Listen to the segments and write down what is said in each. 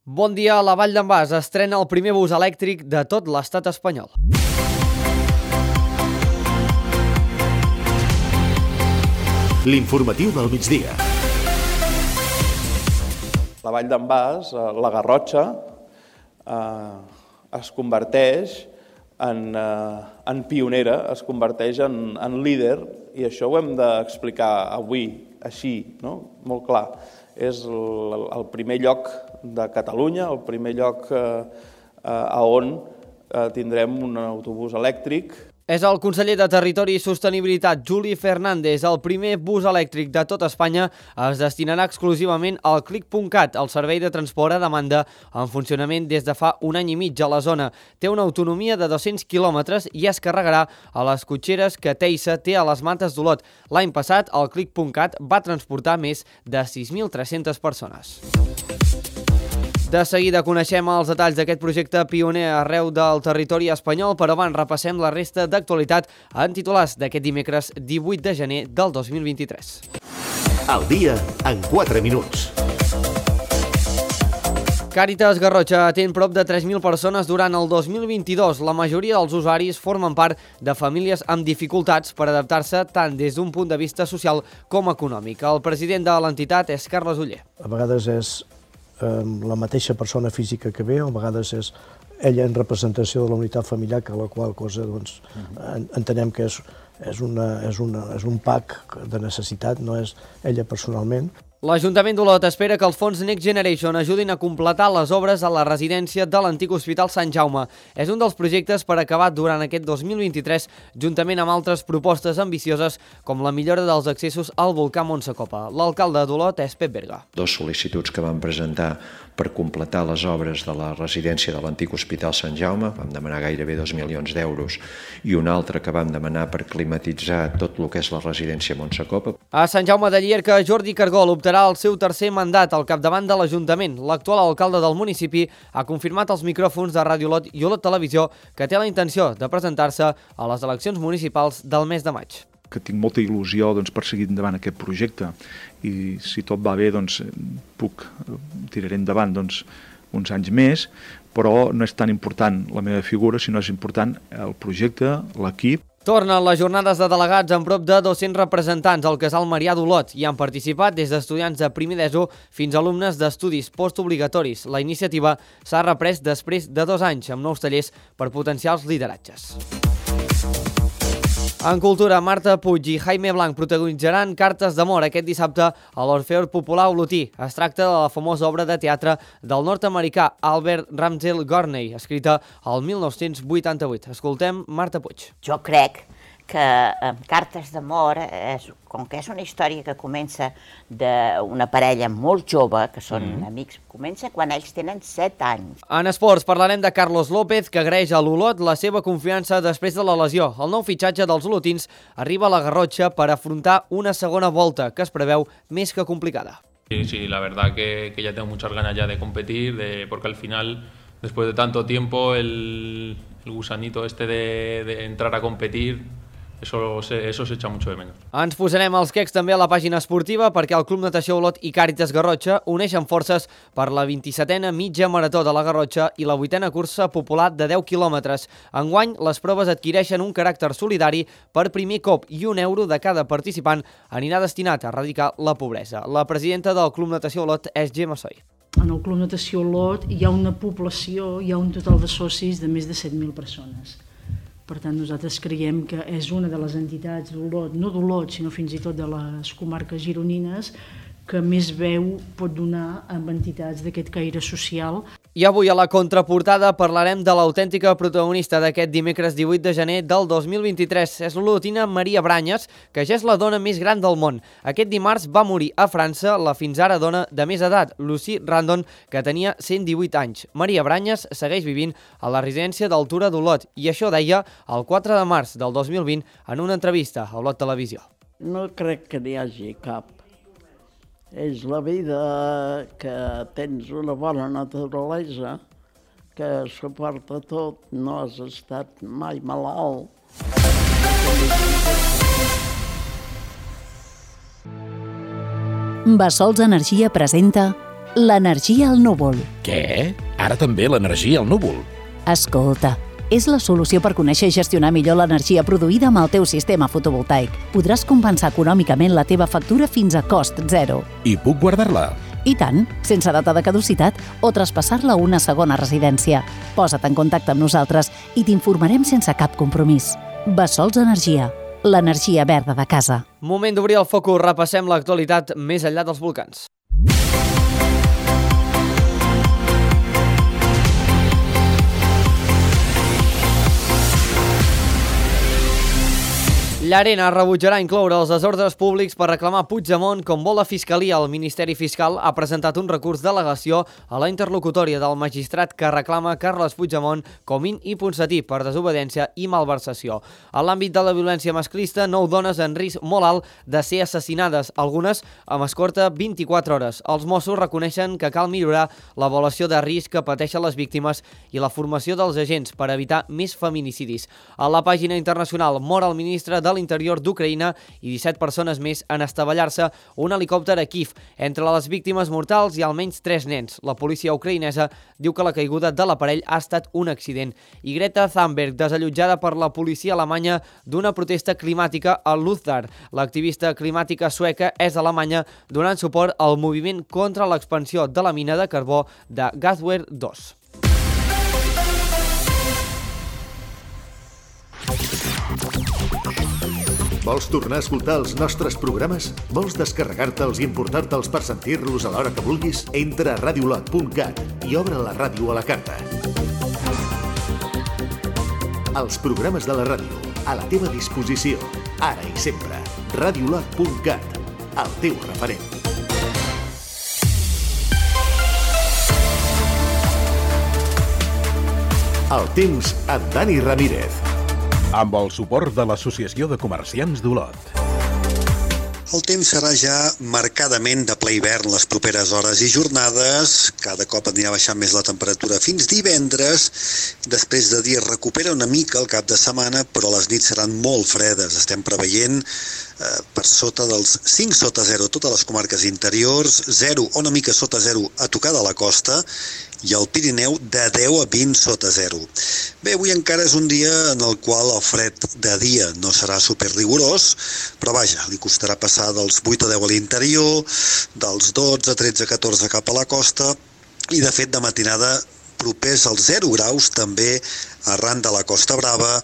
Bon dia, la Vall d'en Bas estrena el primer bus elèctric de tot l'estat espanyol. L'informatiu del migdia. La Vall d'en Bas, la Garrotxa, es converteix en pionera, es converteix en líder, i això ho hem d'explicar avui, així, no? Molt clar. És el primer lloc de Catalunya, el primer lloc on tindrem un autobús elèctric. És el conseller de Territori i Sostenibilitat, Juli Fernández. El primer bus elèctric de tot Espanya es destinarà exclusivament al Clic.cat, el servei de transport a demanda en funcionament des de fa un any i mig a la zona. Té una autonomia de 200 quilòmetres i es carregarà a les cotxeres que Teisa té a les Mates d'Olot. L'any passat, el Clic.cat va transportar més de 6.300 persones. De seguida coneixem els detalls d'aquest projecte pioner arreu del territori espanyol, però abans repassem la resta d'actualitat en titulars d'aquest dimecres 18 de gener del 2023. El dia en 4 minuts. Càritas Garrotxa atén prop de 3.000 persones durant el 2022. La majoria dels usuaris formen part de famílies amb dificultats per adaptar-se tant des d'un punt de vista social com econòmic. El president de l'entitat és Carles Oller. A vegades és la mateixa persona física que ve, a vegades és ella en representació de la unitat familiar, que la qual cosa doncs, entenem que és un pack de necessitat, no és ella personalment. L'Ajuntament d'Olot espera que els fons Next Generation ajudin a completar les obres a la residència de l'antic Hospital Sant Jaume. És un dels projectes per acabar durant aquest 2023, juntament amb altres propostes ambicioses, com la millora dels accessos al volcà Montsacopa. L'alcalde d'Olot és Pep Berga. 2 sol·licituds que vam presentar per completar les obres de la residència de l'antic Hospital Sant Jaume, vam demanar gairebé 2 milions d'euros, i una altra que vam demanar per climatitzar tot el que és la residència Montsacopa. A Sant Jaume de Llierca, Jordi Cargol optarà el seu tercer mandat al capdavant de l'Ajuntament. L'actual alcalde del municipi ha confirmat als micròfons de Ràdio Olot i Olot Televisió que té la intenció de presentar-se a les eleccions municipals del mes de maig. Que tinc molta il·lusió per seguir endavant aquest projecte, i si tot va bé tiraré endavant uns anys més, però no és tan important la meva figura, sinó és important el projecte, l'equip. Tornen les jornades de delegats amb prop de 200 representants al Casal Marià d'Olot. Hi han participat des d'estudiants de primer d'ESO fins a alumnes d'estudis postobligatoris. La iniciativa s'ha reprès després de 2 anys amb nous tallers per potenciar els lideratges. En cultura, Marta Puig i Jaime Blanc protagonitzaran Cartes d'amor aquest dissabte a l'Orfeó Popular Olotí. Es tracta de la famosa obra de teatre del nord-americà Albert Ramsey Gorney, escrita al 1988. Escoltem Marta Puig. Jo crec que Cartes d'amor, com que és una història que comença d'una parella molt jove, que són amics, comença quan ells tenen 7 anys. En esports parlarem de Carlos López, que agraeix a l'Olot la seva confiança després de la lesió. El nou fitxatge dels olotins arriba a la Garrotxa per afrontar una segona volta, que es preveu més que complicada. Sí, la verdad que ya tengo muchas ganas ya de competir, porque al final, después de tanto tiempo, el gusanito de entrar a competir, Eso se echa mucho de menos. Ens posarem els quecs també a la pàgina esportiva perquè el Club Natació Olot i Càritas Garrotxa uneixen forces per la 27a mitja marató de la Garrotxa i la 8a cursa popular de 10 quilòmetres. Enguany, les proves adquireixen un caràcter solidari per primer cop i €1 de cada participant anirà destinat a erradicar la pobresa. La presidenta del Club Natació Olot és Gemma Soy. En el Club Natació Olot hi ha una població, hi ha un total de socis de més de 7.000 persones. Per tant, nosaltres creiem que és una de les entitats d'Olot, no d'Olot, sinó fins i tot de les comarques gironines, que més veu pot donar amb entitats d'aquest caire social. I avui a la contraportada parlarem de l'autèntica protagonista d'aquest dimecres 18 de gener del 2023. És l'olotina Maria Branyes, que ja és la dona més gran del món. Aquest dimarts va morir a França la fins ara dona de més edat, Lucy Randon, que tenia 118 anys. Maria Branyes segueix vivint a la residència d'Altura d'Olot i això deia el 4 de març del 2020 en una entrevista a Olot Televisió. No crec que n'hi hagi cap. És la vida que tens una bona naturalesa, que suporta tot, no has estat mai malalt. Bassols Energia presenta l'energia al núvol. Què? Ara també l'energia al núvol? Escolta, és la solució per conèixer i gestionar millor l'energia produïda amb el teu sistema fotovoltaic. Podràs compensar econòmicament la teva factura fins a cost zero. I puc guardar-la? I tant, sense data de caducitat o traspassar-la a una segona residència. Posa't en contacte amb nosaltres i t'informarem sense cap compromís. Bessols Energia, l'energia verda de casa. Moment d'obrir el focus, repassem l'actualitat més enllà dels volcans. Llarena rebutjarà incloure els desordres públics per reclamar Puigdemont com vol la Fiscalia. El Ministeri Fiscal ha presentat un recurs d'al·legació a la interlocutòria del magistrat que reclama Carles Puigdemont Comín i Ponsatí per desobediència i malversació. En l'àmbit de la violència masclista, 9 dones en risc molt alt de ser assassinades, algunes amb escorta 24 hores. Els Mossos reconeixen que cal millorar l'avaluació de risc que pateixen les víctimes i la formació dels agents per evitar més feminicidis. A la pàgina internacional mor el ministre de l'Interior d'Ucraïna i 17 persones més en estavellar-se un helicòpter a Kíev. Entre les víctimes mortals hi ha almenys 3 nens. La policia ucraïnesa diu que la caiguda de l'aparell ha estat un accident. I Greta Thunberg, desallotjada per la policia alemanya d'una protesta climàtica a Luthar. L'activista climàtica sueca és alemanya donant suport al moviment contra l'expansió de la mina de carbó de Gasware 2. Vols tornar a escoltar els nostres programes? Vols descarregar-te'ls i emportar-te'ls per sentir-los a l'hora que vulguis? Entra a radiolot.cat i obre la ràdio a la carta. Els programes de la ràdio, a la teva disposició, ara i sempre. radiolot.cat, el teu referent. El temps amb Dani Ramírez. Amb el suport de l'Associació de Comerciants d'Olot. El temps serà ja marcadament de ple hivern les properes hores i jornades. Cada cop anirà baixant més la temperatura fins divendres. Després de dies recupera una mica el cap de setmana, però les nits seran molt fredes. Estem preveient per sota dels 5 sota 0 totes les comarques interiors, 0 o una mica sota 0 a tocar de la costa, i al Pirineu de 10 a 20 sota 0. Bé, avui encara és un dia en el qual el fred de dia no serà superrigorós, però vaja, li costarà passar dels 8 a 10 a l'interior, dels 12 a 13 a 14 cap a la costa, i de fet de matinada propers als 0 graus també arran de la Costa Brava,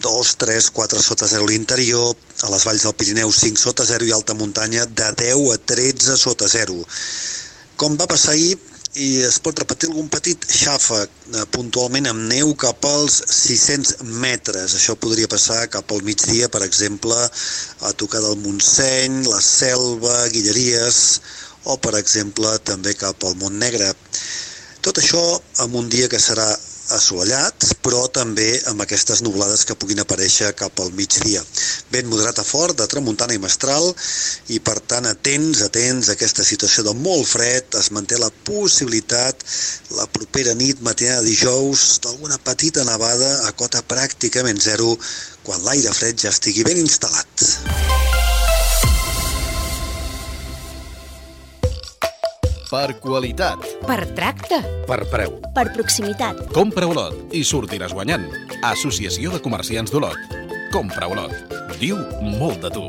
2, 3, 4 sota 0 a l'interior, a les valls del Pirineu 5 sota 0 i alta muntanya de 10 a 13 sota 0. Com va passar ahir, i es pot repetir algun petit xàfec puntualment amb neu cap als 600 metres. Això podria passar cap al migdia, per exemple, a tocar del Montseny, la Selva, Guilleries, o, per exemple, també cap al Montnegre. Tot això en un dia que serà assolellat, però també amb aquestes nublades que puguin aparèixer cap al migdia. Vent moderat a fort, de tramuntana i mestral, i per tant atents a aquesta situació de molt fred. Es manté la possibilitat la propera nit, matinada de dijous, d'alguna petita nevada a cota pràcticament 0, quan l'aire fred ja estigui ben instal·lat. Per qualitat. Per tracte. Per preu. Per proximitat. Compra Olot i sortiràs guanyant. Associació de Comerciants d'Olot. Compra Olot. Diu molt de tu.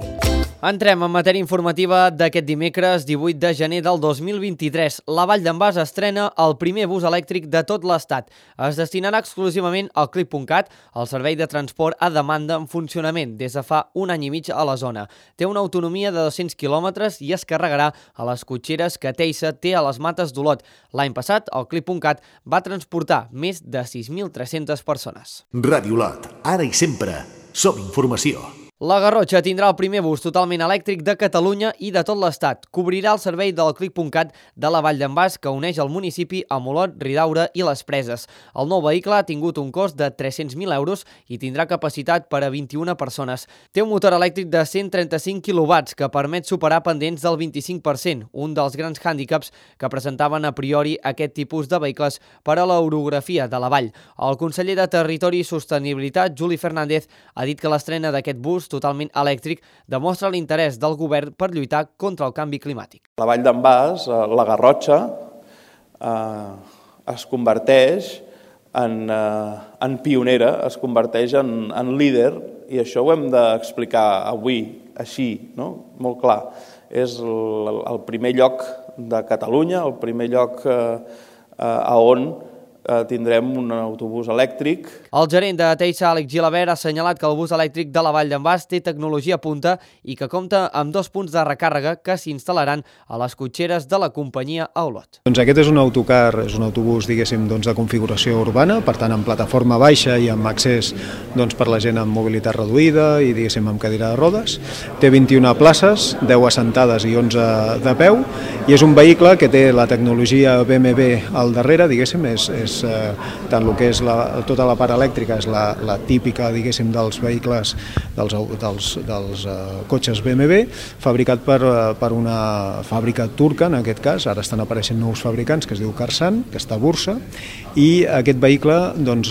Entrem en matèria informativa d'aquest dimecres 18 de gener del 2023. La Vall d'en Bas estrena el primer bus elèctric de tot l'Estat. Es destinarà exclusivament al Clip.cat, el servei de transport a demanda en funcionament des de fa un any i mig a la zona. Té una autonomia de 200 quilòmetres i es carregarà a les cotxeres que Teisa té a les Mates d'Olot. L'any passat, el Clip.cat va transportar més de 6.300 persones. Ràdio Olot, ara i sempre, som informació. La Garrotxa tindrà el primer bus totalment elèctric de Catalunya i de tot l'Estat. Cobrirà el servei del Clip.cat de la Vall d'en Bas, que uneix el municipi amb Olot, Ridaura i les Preses. El nou vehicle ha tingut un cost de 300.000 euros i tindrà capacitat per a 21 persones. Té un motor elèctric de 135 kW que permet superar pendents del 25%, un dels grans hàndicaps que presentaven a priori aquest tipus de vehicles per a l'orografia de la vall. El conseller de Territori i Sostenibilitat, Juli Fernández, ha dit que l'estrena d'aquest bus autobús totalment elèctric demostra l'interès del govern per lluitar contra el canvi climàtic. La Vall d'en Bas, la Garrotxa, es converteix en pionera, es converteix en líder, i això ho hem d'explicar avui així, no? Molt clar. És el primer lloc de Catalunya, el primer lloc a on tindrem un autobús elèctric. El gerent de Teixa, Àlex Gilabert, ha assenyalat que el bus elèctric de la Vall d'en Bas té tecnologia punta i que compta amb 2 punts de recàrrega que s'instal·laran a les cotxeres de la companyia a Olot. Doncs aquest és un autocar, és un autobús, diguéssim, de configuració urbana, per tant amb plataforma baixa i amb accés per la gent amb mobilitat reduïda i, diguéssim, amb cadira de rodes. Té 21 places, 10 assentades i 11 de peu, i és un vehicle que té la tecnologia BMW al darrere, diguéssim, és tant el que és tota la part elèctrica és la típica, diguéssim, dels vehicles, dels cotxes BMW, fabricat per una fàbrica turca, en aquest cas. Ara estan apareixent nous fabricants, que es diu Karsan, que està a Bursa, i aquest vehicle,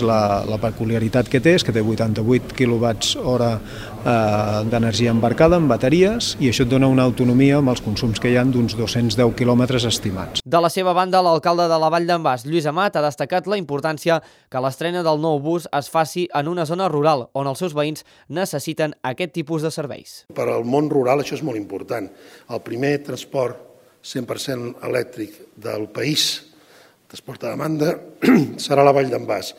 la peculiaritat que té és que té 88 kWh d'energia embarcada en bateries, i això et dona una autonomia amb els consums que hi ha d'uns 210 quilòmetres estimats. De la seva banda, l'alcalde de la Vall d'en Bas, Lluís Amat, ha destacat la importància que l'estrena del nou bus es faci en una zona rural, on els seus veïns necessiten aquest tipus de serveis. Per al món rural això és molt important. El primer transport 100% elèctric del país, transport a demanda, serà la Vall d'en Bas.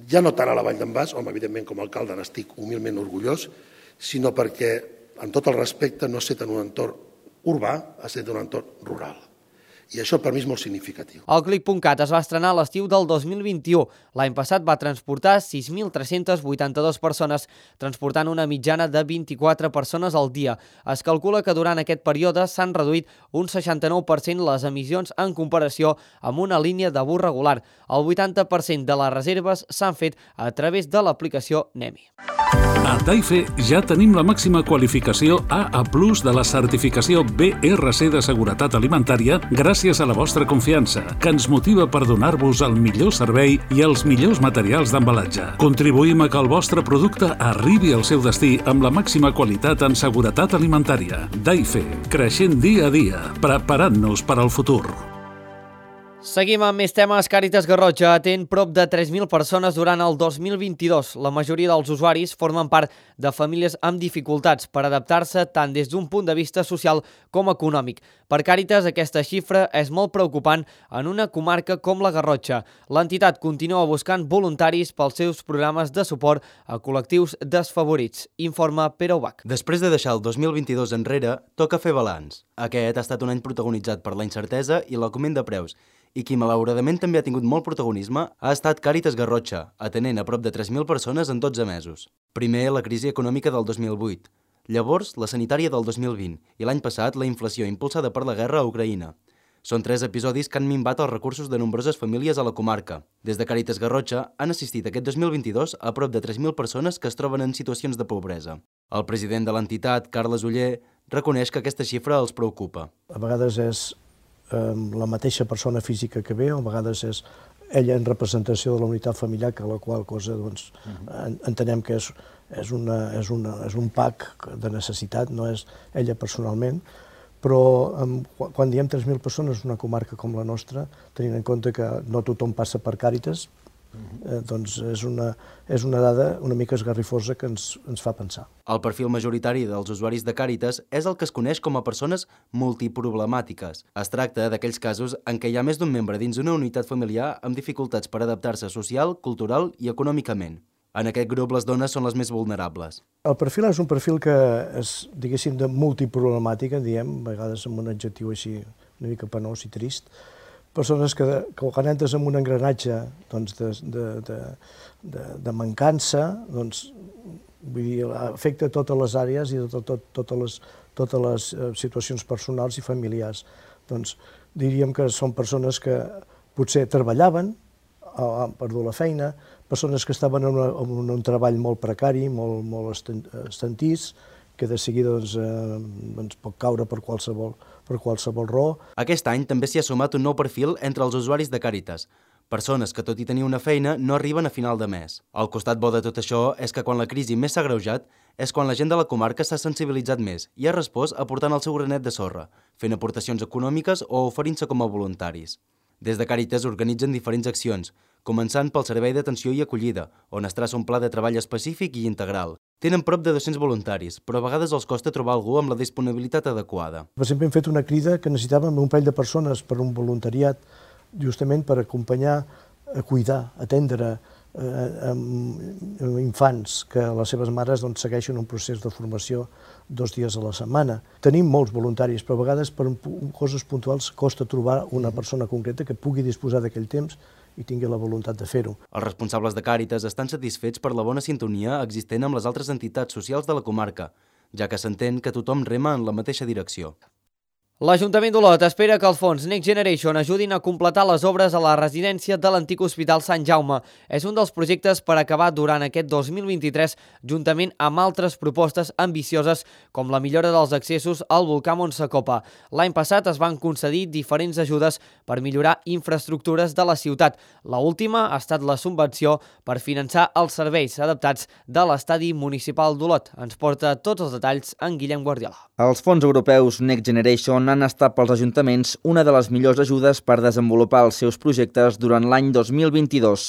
Ja no tant a la Vall d'en Bas, evidentment com a alcalde n'estic humilment orgullós, sinó perquè, amb tot el respecte, no ha estat en un entorn urbà, ha estat en un entorn rural. I això per mi és molt significatiu. El Click.cat es va estrenar a l'estiu del 2021. L'any passat va transportar 6.382 persones, transportant una mitjana de 24 persones al dia. Es calcula que durant aquest període s'han reduït un 69% les emissions en comparació amb una línia de bus regular. El 80% de les reserves s'han fet a través de l'aplicació Nemi. A Taife ja tenim la màxima qualificació AA+ de la certificació BRC de seguretat alimentària gràcies a la vostra confiança, que ens motiva per donar-vos el millor servei i els millors materials d'embalatge. Contribuïm a que el vostre producte arribi al seu destí amb la màxima qualitat en seguretat alimentària. Taife, creixent dia a dia, preparant-nos per al futur. Seguim amb més temes. Càritas Garrotxa atén prop de 3.000 persones durant el 2022. La majoria dels usuaris formen part de famílies amb dificultats per adaptar-se tant des d'un punt de vista social com econòmic. Per Càritas, aquesta xifra és molt preocupant en una comarca com la Garrotxa. L'entitat continua buscant voluntaris pels seus programes de suport a col·lectius desfavorits. Informa Pere Ubach. Després de deixar el 2022 enrere, toca fer balanç. Aquest ha estat un any protagonitzat per la incertesa i l'augment de preus, i qui malauradament també ha tingut molt protagonisme ha estat Càritas Garrotxa, atenent a prop de 3.000 persones en 12 mesos. Primer, la crisi econòmica del 2008, llavors la sanitària del 2020 i l'any passat la inflació impulsada per la guerra a Ucraïna. Són 3 episodis que han minvat els recursos de nombroses famílies a la comarca. Des de Càritas Garrotxa han assistit aquest 2022 a prop de 3.000 persones que es troben en situacions de pobresa. El president de l'entitat, Carles Oller, reconeix que aquesta xifra els preocupa. A vegades és la mateixa persona física que ve, o a vegades és ella en representació de la unitat familiar, que la qual cosa entenem que és un pack de necessitat, no és ella personalment, però quan diem 3.000 persones en una comarca com la nostra, tenint en compte que no tothom passa per Càritas, doncs és una dada una mica esgarrifosa que ens fa pensar. El perfil majoritari dels usuaris de Càritas és el que es coneix com a persones multiproblemàtiques. Es tracta d'aquells casos en què hi ha més d'un membre dins una unitat familiar amb dificultats per adaptar-se social, cultural i econòmicament. En aquest grup les dones són les més vulnerables. El perfil és un perfil que és, diguéssim, de multiproblemàtica, diem, a vegades amb un adjectiu així una mica penós i trist, persones que quan entres en un engranatge de mancança, afecta totes les àrees i totes les situacions personals i familiars. Diríem que són persones que potser treballaven, han perdut la feina, persones que estaven en un treball molt precari, molt estantís, que de seguida pot caure per qualsevol raó. Aquest any també s'hi ha sumat un nou perfil entre els usuaris de Càritas, Persones que, tot i tenir una feina, no arriben a final de mes. El costat bo de tot això és que quan la crisi més s'ha agreujat és quan la gent de la comarca s'ha sensibilitzat més i ha respost aportant el seu granet de sorra, fent aportacions econòmiques o oferint-se com a voluntaris. Des de Càritas organitzen diferents accions, començant pel servei d'atenció i acollida, on es traça un pla de treball específic i integral. Tenen prop de 200 voluntaris, però a vegades els costa trobar algú amb la disponibilitat adequada. Sempre hem fet una crida que necessitàvem un parell de persones per un voluntariat, justament per acompanyar, cuidar, atendre infants que les seves mares segueixen un procés de formació 2 dies a la setmana. Tenim molts voluntaris, però a vegades per coses puntuals costa trobar una persona concreta que pugui disposar d'aquell temps i tingui la voluntat de fer-ho. Els responsables de Càritas estan satisfets per la bona sintonia existent amb les altres entitats socials de la comarca, ja que s'entén que tothom rema en la mateixa direcció. L'Ajuntament d'Olot espera que els fons Next Generation ajudin a completar les obres a la residència de l'antic Hospital Sant Jaume. És un dels projectes per acabar durant aquest 2023, juntament amb altres propostes ambicioses com la millora dels accessos al volcà Montsacopa. L'any passat es van concedir diferents ajudes per millorar infraestructures de la ciutat. L'última ha estat la subvenció per finançar els serveis adaptats de l'estadi municipal d'Olot. Ens porta tots els detalls en Guillem Guardiola. Els fons europeus Next Generation han estat pels ajuntaments una de les millors ajudes per desenvolupar els seus projectes durant l'any 2022.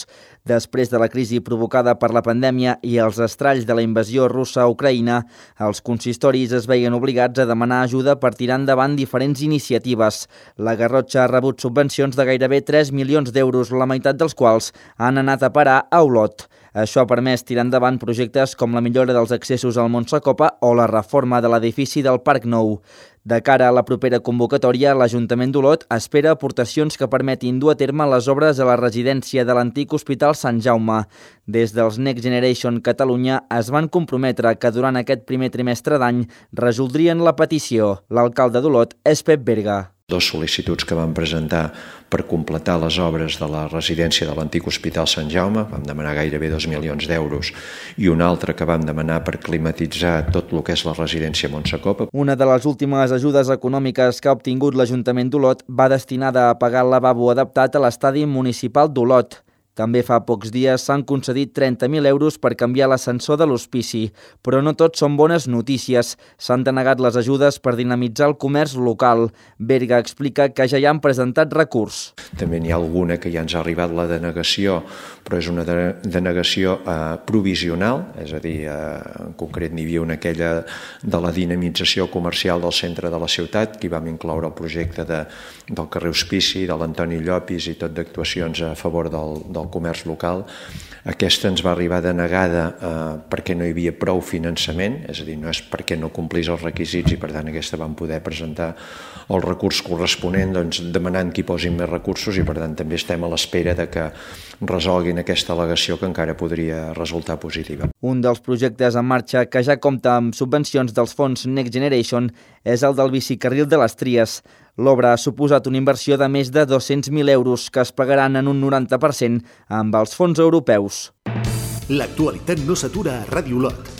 Després de la crisi provocada per la pandèmia i els estralls de la invasió russa a Ucraïna, els consistoris es veien obligats a demanar ajuda per tirar endavant diferents iniciatives. La Garrotxa ha rebut subvencions de gairebé 3 milions d'euros, la meitat dels quals han anat a parar a Olot. Això ha permès tirar endavant projectes com la millora dels accessos al Montsacopa o la reforma de l'edifici del Parc Nou. De cara a la propera convocatòria, l'Ajuntament d'Olot espera aportacions que permetin dur a terme les obres a la residència de l'antic Hospital Sant Jaume. Des dels Next Generation Catalunya es van comprometre que durant aquest primer trimestre d'any resoldrien la petició. L'alcalde d'Olot és Pep Berga. 2 sol·licituds que vam presentar per completar les obres de la residència de l'antic Hospital Sant Jaume, vam demanar gairebé 2 milions d'euros, i una altra que vam demanar per climatitzar tot el que és la residència Montsacopa. Una de les últimes ajudes econòmiques que ha obtingut l'Ajuntament d'Olot va destinada a pagar el lavabo adaptat a l'estadi municipal d'Olot. També fa pocs dies s'han concedit 30.000 euros per canviar l'ascensor de l'hospici, però no tot són bones notícies. S'han denegat les ajudes per dinamitzar el comerç local. Berga explica que ja hi han presentat recurs. També n'hi ha alguna que ja ens ha arribat la denegació, però és una denegació provisional, és a dir, en concret n'hi havia una aquella de la dinamització comercial del centre de la ciutat, que hi vam incloure el projecte del carrer Hospici, de l'Antoni Llopis i tot d'actuacions a favor del comerç local. Aquesta ens va arribar denegada perquè no hi havia prou finançament, és a dir, no és perquè no complís els requisits i per tant aquesta vam poder presentar el recurs corresponent demanant que hi posin més recursos i per tant també estem a l'espera de que resolguin aquesta al·legació que encara podria resultar positiva. Un dels projectes en marxa que ja compta amb subvencions dels fons Next Generation és el del bicicarril de les Tries. L'obra ha suposat una inversió de més de 200.000 euros que es pagaran en un 90% amb els fons europeus. L'actualitat no s'atura a Ràdio Olot.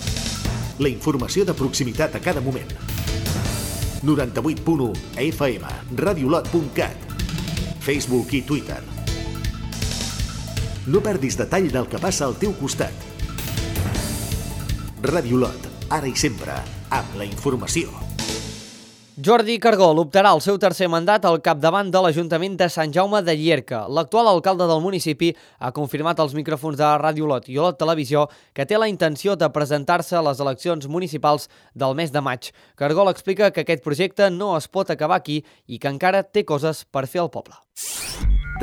La informació de proximitat a cada moment. 98.1 FM, radiolot.cat, Facebook i Twitter. No perdis detall del que passa al teu costat. Ràdio Olot, ara i sempre, amb la informació. Jordi Cargol optarà al seu tercer mandat al capdavant de l'Ajuntament de Sant Jaume de Llierca. L'actual alcalde del municipi ha confirmat als micròfons de Ràdio Olot i Olot Televisió que té la intenció de presentar-se a les eleccions municipals del mes de maig. Cargol explica que aquest projecte no es pot acabar aquí i que encara té coses per fer al poble.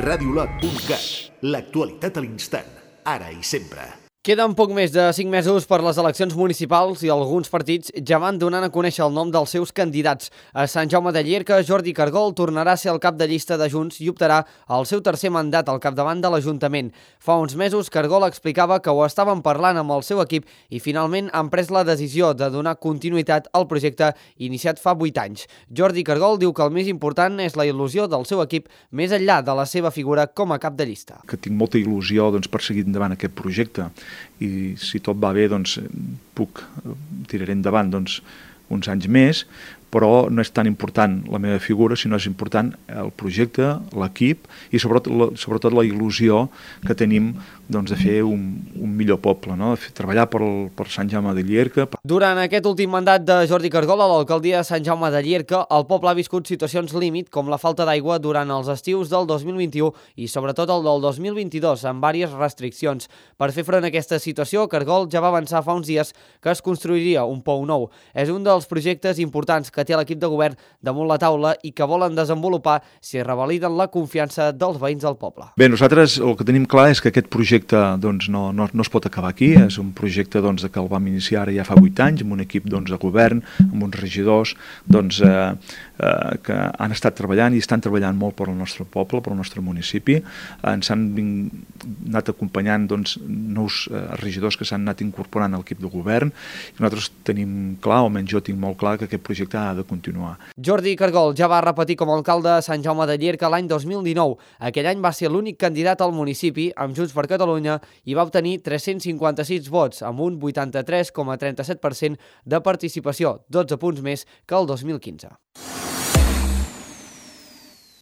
radiolot.cat, l'actualitat a l'instant, ara i sempre. Queden poc més de 5 mesos per les eleccions municipals i alguns partits ja van donant a conèixer el nom dels seus candidats. A Sant Jaume de Llierca, Jordi Cargol tornarà a ser el cap de llista de Junts i optarà al seu tercer mandat al capdavant de l'Ajuntament. Fa uns mesos, Cargol explicava que ho estaven parlant amb el seu equip i finalment han pres la decisió de donar continuïtat al projecte iniciat fa 8 anys. Jordi Cargol diu que el més important és la il·lusió del seu equip més enllà de la seva figura com a cap de llista. Que tinc molta il·lusió per seguir endavant aquest projecte i si tot va bé tiraré endavant uns anys més, però no és tan important la meva figura, sinó és important el projecte, l'equip i sobretot la il·lusió que tenim de fer un millor poble, no? Treballar per Sant Jaume de Llierca. Durant aquest últim mandat de Jordi Cargol a l'alcaldia de Sant Jaume de Llierca, el poble ha viscut situacions límit com la falta d'aigua durant els estius del 2021 i sobretot el del 2022, amb diverses restriccions. Per fer front a aquesta situació, Cargol ja va avançar fa uns dies que es construiria un pou nou. És un dels projectes importants que té l'equip de govern damunt la taula i que volen desenvolupar si revaliden la confiança dels veïns del poble. Bé, nosaltres el que tenim clar és que aquest projecte no es pot acabar aquí. És un projecte que el vam iniciar ara ja fa 8 anys amb un equip de govern, amb uns regidors que han estat treballant i estan treballant molt per al nostre poble, per al nostre municipi. Ens han anat acompanyant nous regidors que s'han anat incorporant al equip de govern i nosaltres tenim clar, o almenys jo tinc molt clar, que aquest projecte ha de continuar. Jordi Cargol ja va repetir com a alcalde de Sant Jaume de Llierca l'any 2019. Aquell any va ser l'únic candidat al municipi amb Junts per Catalunya i va obtenir 356 vots amb un 83,37% de participació, 12 punts més que el 2015.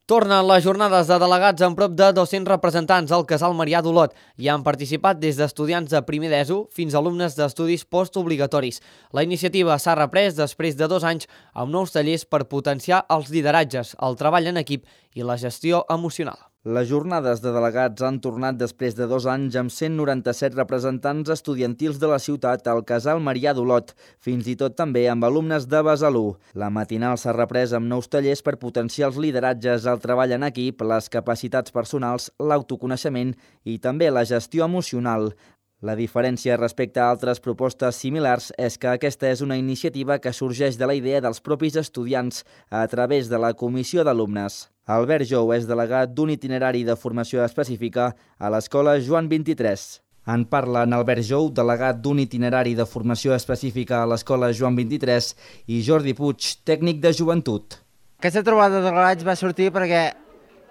Tornen les jornades de delegats amb prop de 200 representants al Casal Marià d'Olot. Hi han participat des d'estudiants de primer d'ESO fins a alumnes d'estudis postobligatoris. La iniciativa s'ha reprès després de 2 anys amb nous tallers per potenciar els lideratges, el treball en equip i la gestió emocional. Les jornades de delegats han tornat després de 2 anys amb 197 representants estudiantils de la ciutat al Casal Marià d'Olot, fins i tot també amb alumnes de Besalú. La matinal s'ha reprès amb nous tallers per potenciar els lideratges, el treball en equip, les capacitats personals, l'autoconeixement i també la gestió emocional. La diferència respecte a altres propostes similars és que aquesta és una iniciativa que sorgeix de la idea dels propis estudiants a través de la comissió d'alumnes. Albert Jou és delegat d'un itinerari de formació específica a l'Escola Joan 23. En parla en Albert Jou, delegat d'un itinerari de formació específica a l'Escola Joan 23, i Jordi Puig, tècnic de joventut. Aquesta trobada de delegats va sortir perquè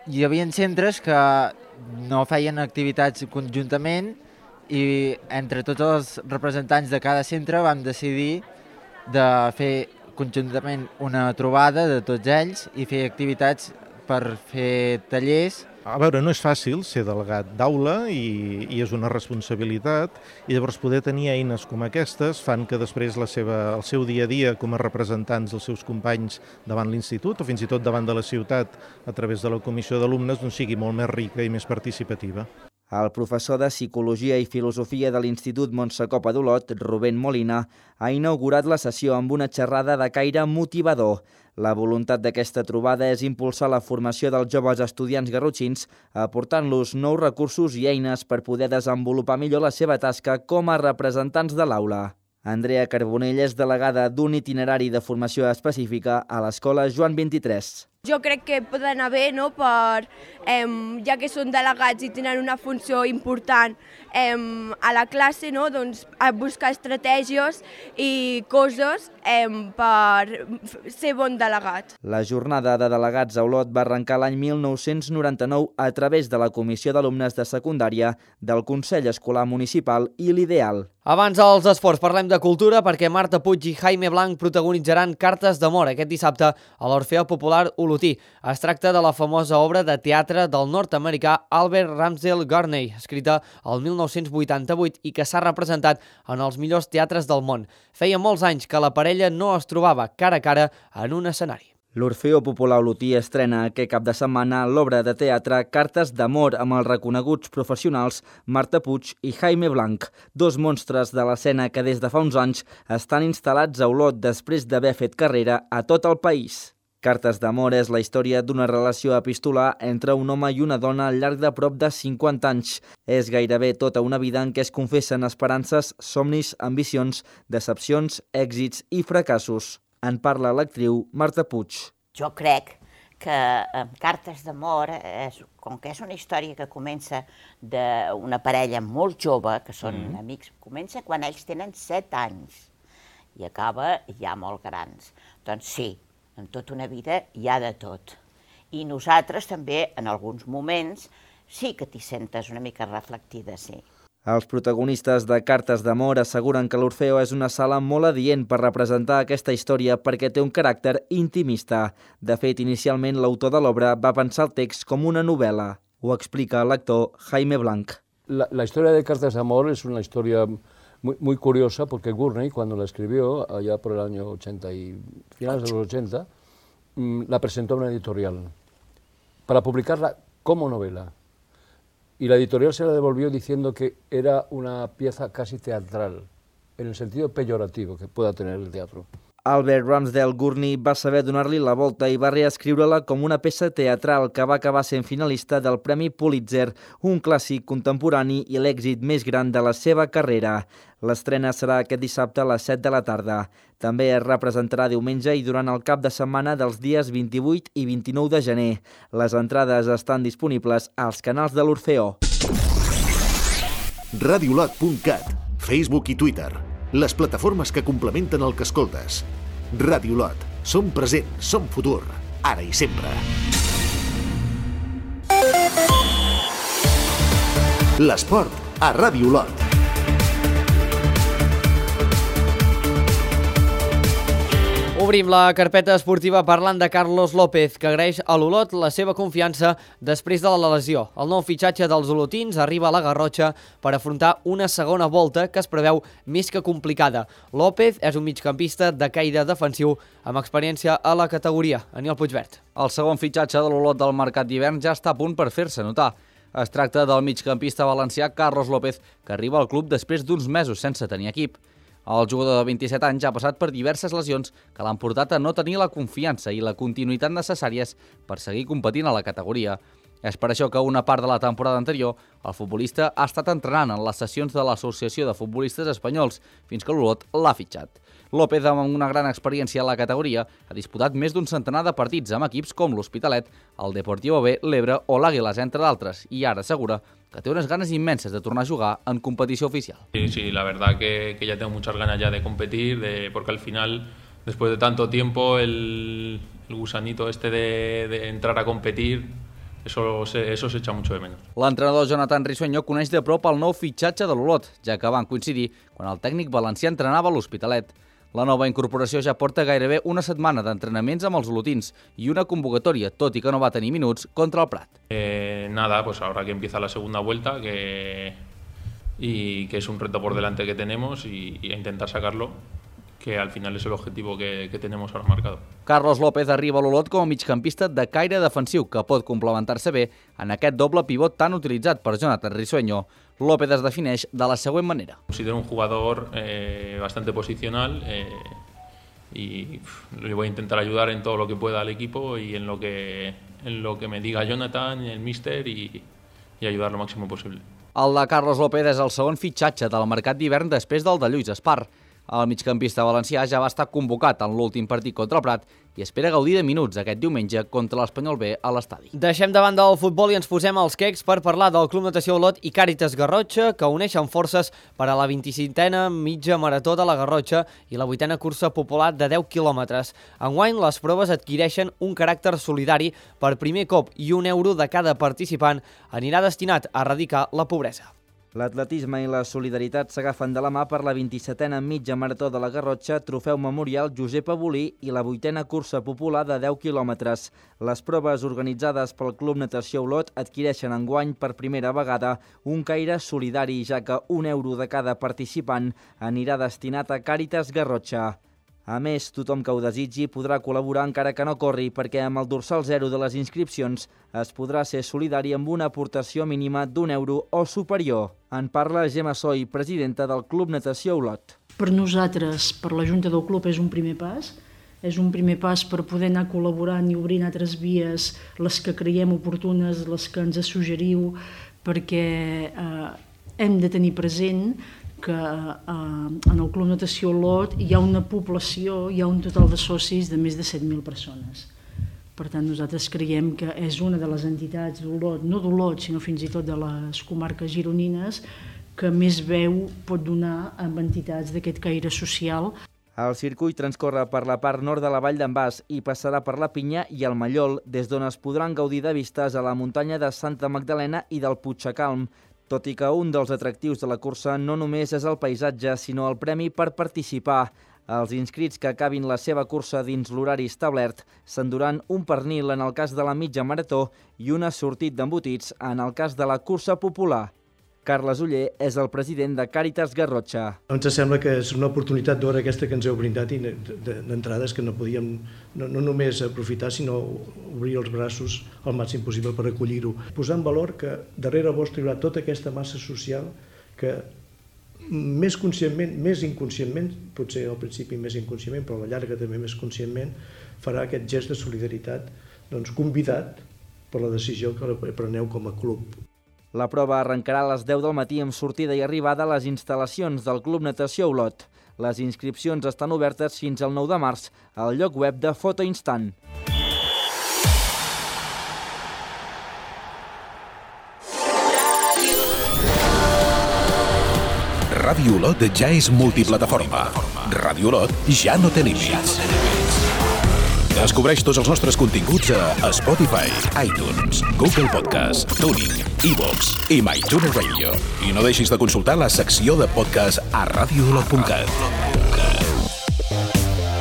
hi havia centres que no feien activitats conjuntament i entre tots els representants de cada centre vam decidir de fer conjuntament una trobada de tots ells i fer activitats per fer tallers. A veure, no és fàcil ser delegat d'aula i és una responsabilitat, i llavors poder tenir eines com aquestes fan que després el seu dia a dia com a representants dels seus companys davant l'institut o fins i tot davant de la ciutat a través de la comissió d'alumnes sigui molt més rica i més participativa. El professor de Psicologia i Filosofia de l'Institut Montsecopa d'Olot, Rubén Molina, ha inaugurat la sessió amb una xerrada de caire motivador. La voluntat d'aquesta trobada és impulsar la formació dels joves estudiants garrotxins, aportant-los nous recursos i eines per poder desenvolupar millor la seva tasca com a representants de l'aula. Andrea Carbonell és delegada d'un itinerari de formació específica a l'Escola Joan 23. Jo crec que pot anar bé, ja que són delegats i tenen una funció important a la classe, a buscar estratègies i coses per ser bon delegat. La jornada de delegats a Olot va arrencar l'any 1999 a través de la Comissió d'Alumnes de Secundària, del Consell Escolar Municipal i l'Ideal. Abans dels esports parlem de cultura perquè Marta Puig i Jaime Blanc protagonitzaran Cartes d'amor aquest dissabte a l'Orfeó Popular Olotí. Es tracta de la famosa obra de teatre del nord-americà Albert Ramsdell Gurney, escrita el 1988 i que s'ha representat en els millors teatres del món. Feia molts anys que la parella no es trobava cara a cara en un escenari. L'Orfeó Popular Olotí estrena aquest cap de setmana l'obra de teatre Cartes d'amor amb els reconeguts professionals Marta Puig i Jaime Blanc, dos monstres de l'escena que des de fa uns anys estan instal·lats a Olot després d'haver fet carrera a tot el país. Cartes d'amor és la història d'una relació epistolar entre un home i una dona al llarg de prop de 50 anys. És gairebé tota una vida en què es confessen esperances, somnis, ambicions, decepcions, èxits i fracassos. En parla l'actriu Marta Puig. Jo crec que Cartes d'amor, com que és una història que comença d'una parella molt jove, que són amics, comença quan ells tenen 7 anys i acaba ja molt grans. Doncs sí, en tota una vida hi ha de tot. I nosaltres també, en alguns moments, sí que t'hi sentes una mica reflectida, sí. Els protagonistes de Cartes d'amor asseguren que l'Orfeó és una sala molt adient per representar aquesta història perquè té un caràcter intimista. De fet, inicialment l'autor de l'obra va pensar el text com una novel·la. Ho explica l'actor Jaime Blanc. La historia de Cartas de amor es una historia muy curiosa porque Gurney, cuando la escribió, allá por el año 80 y finales de los 80, la presentó a una editorial para publicarla como novela. Y la editorial se la devolvió diciendo que era una pieza casi teatral, en el sentido peyorativo que pueda tener el teatro. Albert Ramsdale Gurney va saber donar-li la volta i va reescriure-la com una peça teatral que va acabar sent finalista del Premi Pulitzer, un clàssic contemporani i l'èxit més gran de la seva carrera. L'estrena serà aquest dissabte a les 7 de la tarda. També es representarà diumenge i durant el cap de setmana dels dies 28 i 29 de gener. Les entrades estan disponibles als canals de l'Orfeó. Radiolot.cat, Facebook i Twitter. Les plataformes que complementen el que escoltes. Radiolot. Som present, som futur, ara i sempre. L'esport a Radiolot. Obrim la carpeta esportiva parlant de Carlos López, que agraeix a l'Olot la seva confiança després de la lesió. El nou fitxatge dels olotins arriba a la Garrotxa per afrontar una segona volta que es preveu més que complicada. López és un migcampista de caire defensiu amb experiència a la categoria. Aniol Puigvert. El segon fitxatge de l'Olot del mercat d'hivern ja està a punt per fer-se notar. Es tracta del migcampista valencià Carlos López, que arriba al club després d'uns mesos sense tenir equip. El jugador de 27 anys ha passat per diverses lesions que l'han portat a no tenir la confiança i la continuïtat necessàries per seguir competint a la categoria. És per això que una part de la temporada anterior el futbolista ha estat entrenant en les sessions de l'Associació de Futbolistes Espanyols fins que l'Olot l'ha fitxat. López, amb una gran experiència a la categoria, ha disputat més d'un centenar de partits amb equips com l'Hospitalet, el Deportivo B, l'Ebre o l'Àguiles, entre d'altres, i ara assegura que té unas ganas inmensas de tornar a jugar en competición oficial. Sí, la verdad que ya tengo muchas ganas ya de competir, porque al final, después de tanto tiempo, el gusanito este de entrar a competir, eso se echa mucho de menos. L'entrenador Jonathan Risueño coneix de prop el nou fitxatge de l'Olot, ja que van coincidir quan el tècnic valencià entrenava a l'Hospitalet. La nova incorporació ja porta gairebé una setmana d'entrenaments amb els olotins i una convocatòria, tot i que no va tenir minuts, contra el Prat. Nada, pues ahora que empieza la segunda vuelta, y que es un reto por delante que tenemos y a intentar sacarlo, que al final es el objetivo que tenemos ahora marcado. Carlos López arriba a l'Olot com a migcampista de caire defensiu que pot complementar-se bé en aquest doble pivot tan utilitzat per Jonathan Risueño. López es defineix de la següent manera. Considero un jugador bastante posicional y le voy a intentar ayudar en todo lo que pueda al equipo y en lo que me diga Jonathan, el míster y ayudar lo máximo posible. El de Carlos López és el segon fitxatge del mercat d'hivern després del de Lluís Espar. El migcampista valencià ja va estar convocat en l'últim partit contra el Prat i espera gaudir de minuts aquest diumenge contra l'Espanyol B a l'estadi. Deixem de banda el futbol i ens posem als quecs per parlar del Club Natació Olot i Càritas Garrotxa, que uneixen forces per a la 25a mitja marató de la Garrotxa i la 8a cursa popular de 10 quilòmetres. Enguany, les proves adquireixen un caràcter solidari per primer cop i €1 de cada participant anirà destinat a erradicar la pobresa. L'atletisme i la solidaritat s'agafen de la mà per la 27a mitja marató de la Garrotxa, trofeu memorial Josep Abolí i la 8a cursa popular de 10 quilòmetres. Les proves organitzades pel Club Natació Olot adquireixen enguany per primera vegada un caire solidari, ja que €1 de cada participant anirà destinat a Càritas Garrotxa. A més, tothom que ho desitgi podrà col·laborar encara que no corri, perquè amb el dorsal 0 de les inscripcions es podrà ser solidari amb una aportació mínima d'€1 o superior. En parla Gemma Soy, presidenta del Club Natació Olot. Per nosaltres, per la Junta del Club, és un primer pas. És un primer pas per poder anar col·laborant i obrint altres vies, les que creiem oportunes, les que ens suggeriu, perquè hem de tenir present que en el Club Natació Olot hi ha una població, hi ha un total de socis de més de 7.000 persones. Per tant, nosaltres creiem que és una de les entitats d'Olot, no d'Olot, sinó fins i tot de les comarques gironines, que més veu pot donar amb entitats d'aquest caire social. El circuit transcorre per la part nord de la Vall d'en Bas i passarà per la Pinya i el Mallol, des d'on es podran gaudir de vistes a la muntanya de Santa Magdalena i del Puigcalm. tot i que un dels atractius de la cursa no només és el paisatge, sinó el premi per participar. Els inscrits que acabin la seva cursa dins l'horari establert s'enduran un pernil en el cas de la mitja marató i un assortit d'embotits en el cas de la cursa popular. Carles Oller és el president de Càritas Garrotxa. Ens sembla que és una oportunitat d'hora aquesta que ens heu brindat i d'entrades que no podíem no només aprofitar, sinó obrir els braços al màxim possible per acollir-ho. Posar en valor que darrere vostre hi haurà tota aquesta massa social que més conscientment, més inconscientment, potser al principi més inconscientment, però a la llarga també més conscientment, farà aquest gest de solidaritat convidat per la decisió que preneu com a club. La prova arrencarà a les 10 del matí amb sortida i arribada a les instal·lacions del Club Natació Olot. Les inscripcions estan obertes fins al 9 de març al lloc web de Foto Instant. Ràdio Olot ja és multiplataforma. Ràdio Olot ja no té límits. Descobreix tots els nostres continguts a Spotify, iTunes, Google Podcast, TuneIn, iVoox i MyTuner Radio. I no deixis de consultar la secció de podcast a radioolot.cat.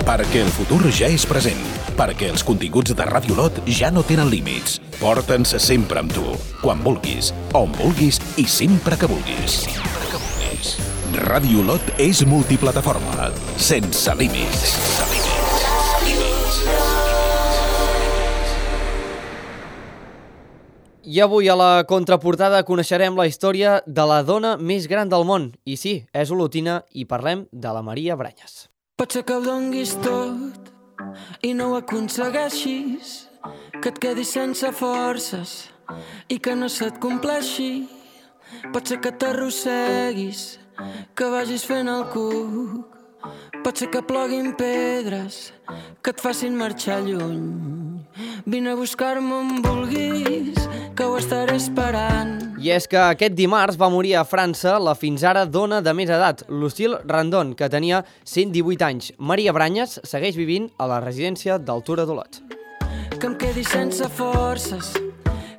Perquè el futur ja és present. Perquè els continguts de Ràdio Olot ja no tenen límits. Porta'ns sempre amb tu, quan vulguis, on vulguis i sempre que vulguis. Ràdio Olot és multiplataforma, sense límits. I avui a la contraportada coneixerem la història de la dona més gran del món. I sí, és olotina i parlem de la Maria Branyes. Pot ser que ho donguis tot i no ho aconsegueixis, que et quedis sense forces i que no se't compleixi. Pot ser que t'arrosseguis, que vagis fent el cuc. Pot ser que ploguin pedres, que et facin marxar lluny. Vine a buscar-me on vulguis, que ho estaré esperant. I és que aquest dimarts va morir a França la fins ara dona de més edat, Lucille Randon, que tenia 118 anys. Maria Branyes segueix vivint a la residència d'Altura d'Olot. Que em quedi sense forces,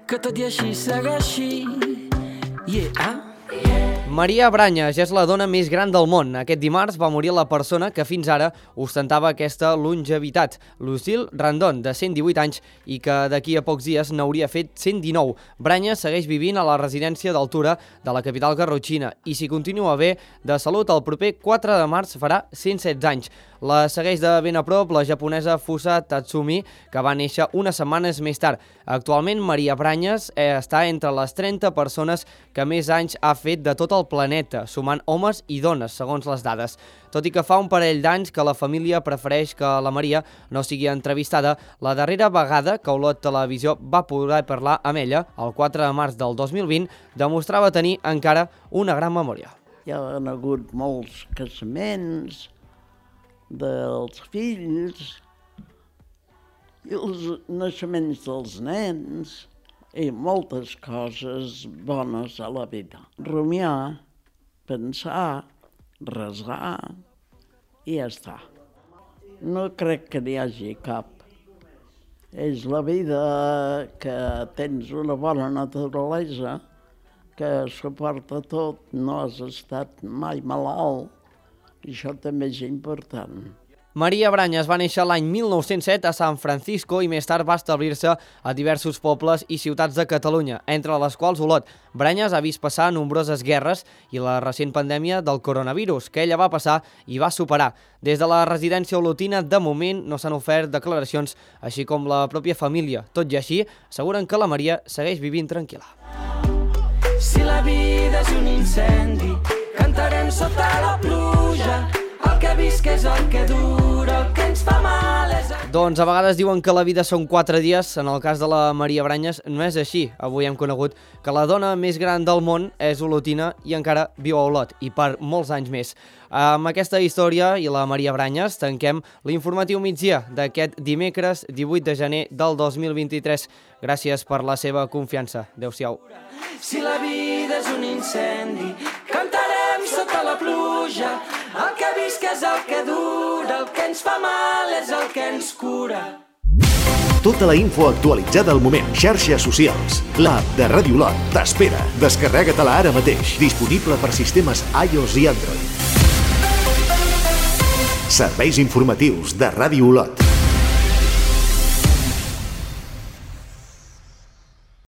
que tot i així segueixi. Maria Branyes és la dona més gran del món. Aquest dimarts va morir la persona que fins ara ostentava aquesta longevitat, Lucille Randon, de 118 anys, i que d'aquí a pocs dies n'hauria fet 119. Branyes segueix vivint a la residència d'Altura de la capital garrotxina i si continua bé de salut, el proper 4 de març farà 116 anys. La segueix de ben a prop la japonesa Fusa Tatsumi, que va néixer unes setmanes més tard. Actualment, Maria Branyes està entre les 30 persones que més anys ha fet de tot el planeta, sumant homes i dones, segons les dades. Tot i que fa un parell d'anys que la família prefereix que la Maria no sigui entrevistada, la darrera vegada que Olot Televisió va poder parlar amb ella, el 4 de març del 2020, demostrava tenir encara una gran memòria. Hi ha hagut molts casaments dels fills i els naixements dels nens i moltes coses bones a la vida. Rumiar, pensar, resar i ja està. No crec que n'hi hagi cap. És la vida que tens una bona naturalesa, que suporta tot, no has estat mai malalt. I això també és important. Maria Branyes va néixer l'any 1907 a San Francisco i més tard va establir-se a diversos pobles i ciutats de Catalunya, entre les quals Olot. Branyes ha vist passar nombroses guerres i la recent pandèmia del coronavirus, que ella va passar i va superar. Des de la residència olotina, de moment, no s'han ofert declaracions, així com la pròpia família. Tot i així, asseguren que la Maria segueix vivint tranquil·la. Si la vida és un incendi, cantarem sota la pluja. El que visc és el que dura, el que ens fa mal és... Doncs a vegades diuen que la vida són 4 dies, en el cas de la Maria Branyes no és així. Avui hem conegut que la dona més gran del món és olotina i encara viu a Olot, i per molts anys més. Amb aquesta història i la Maria Branyes tanquem l'informatiu migdia d'aquest dimecres 18 de gener del 2023. Gràcies per la seva confiança. Adéu-siau. Si la vida és un incendi, cantarem sota la pluja. El que visc és el que dura, el que ens fa mal és el que ens cura. tota la info actualitzada al moment. Xarxes socials. L'app de Ràdio Olot t'espera. Descarrega-te-la ara mateix. Disponible per sistemes iOS i Android. Serveis informatius de Ràdio Olot.